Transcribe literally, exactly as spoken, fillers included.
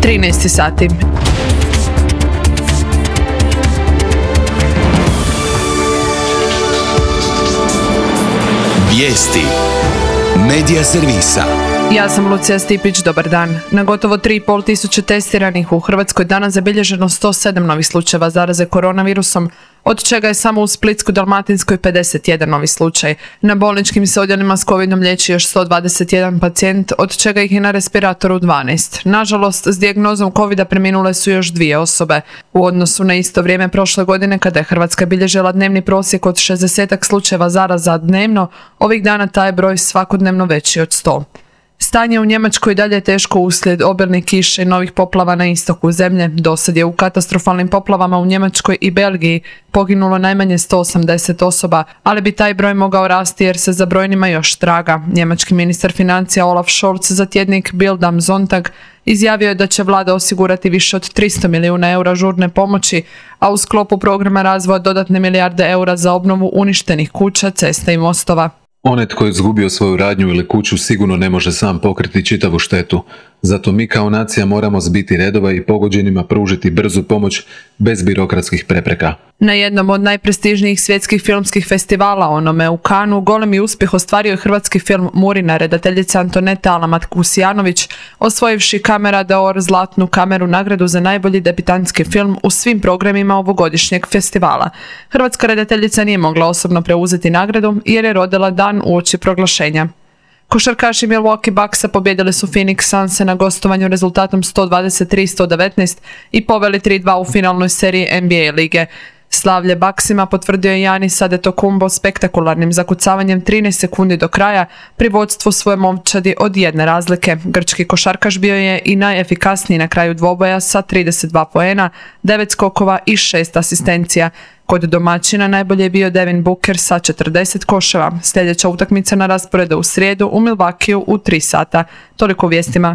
trinaest sati. Vijesti Medija servisa. Ja sam Lucija Stipić, dobar dan. Na gotovo tri i pol tisuće testiranih u Hrvatskoj danas zabilježeno sto sedam novih slučajeva zaraze koronavirusom, od čega je samo u Splitsko-dalmatinskoj pedeset jedan novi slučaj. Na bolničkim se odjelima s covidom liječi još sto dvadeset jedan pacijent, od čega ih je na respiratoru dvanaest. Nažalost, s dijagnozom covida preminule su još dvije osobe. U odnosu na isto vrijeme prošle godine, kada je Hrvatska bilježila dnevni prosjek od šezdeset slučajeva zaraza dnevno, ovih dana taj je broj svakodnevno veći od sto. Stanje u Njemačkoj dalje je teško uslijed obilnih kiša i novih poplava na istoku zemlje. Dosad je u katastrofalnim poplavama u Njemačkoj i Belgiji poginulo najmanje sto osamdeset osoba, ali bi taj broj mogao rasti jer se za brojnima još traga. Njemački ministar financija Olaf Scholz za tjednik Bild am Sonntag izjavio je da će vlada osigurati više od tristo milijuna eura žurne pomoći, a u sklopu programa razvoja dodatne milijarde eura za obnovu uništenih kuća, cesta i mostova. Onaj tko je izgubio svoju radnju ili kuću sigurno ne može sam pokriti čitavu štetu. Zato mi kao nacija moramo zbiti redova i pogođenima pružiti brzu pomoć bez birokratskih prepreka. Na jednom od najprestižnijih svjetskih filmskih festivala, onome u Cannesu, golemi uspjeh ostvario je hrvatski film Murina, redateljica Antoneta Alamat-Kusijanović, osvojivši Camera d'Or zlatnu kameru nagradu za najbolji debitantski film u svim programima ovogodišnjeg festivala. Hrvatska redateljica nije mogla osobno preuzeti nagradu jer je rodila dan uoči proglašenja. Košarkaši Milwaukee Bucksa pobjedili su Phoenix Sunse na gostovanju rezultatom sto dvadeset tri sto devetnaest i poveli tri dva u finalnoj seriji N B A lige. Slavlje Bucksima potvrdio je Giannis Antetokounmpo spektakularnim zakucavanjem trinaest sekundi do kraja pri vodstvu svoje momčadi od jedne razlike. Grčki košarkaš bio je i najefikasniji na kraju dvoboja sa trideset dva poena, devet skokova i šest asistencija. Kod domaćina najbolje je bio Devin Booker sa četrdeset koševa. Sljedeća utakmica na rasporedu u srijedu u Milwaukeeu u tri sata. Toliko u vijestima.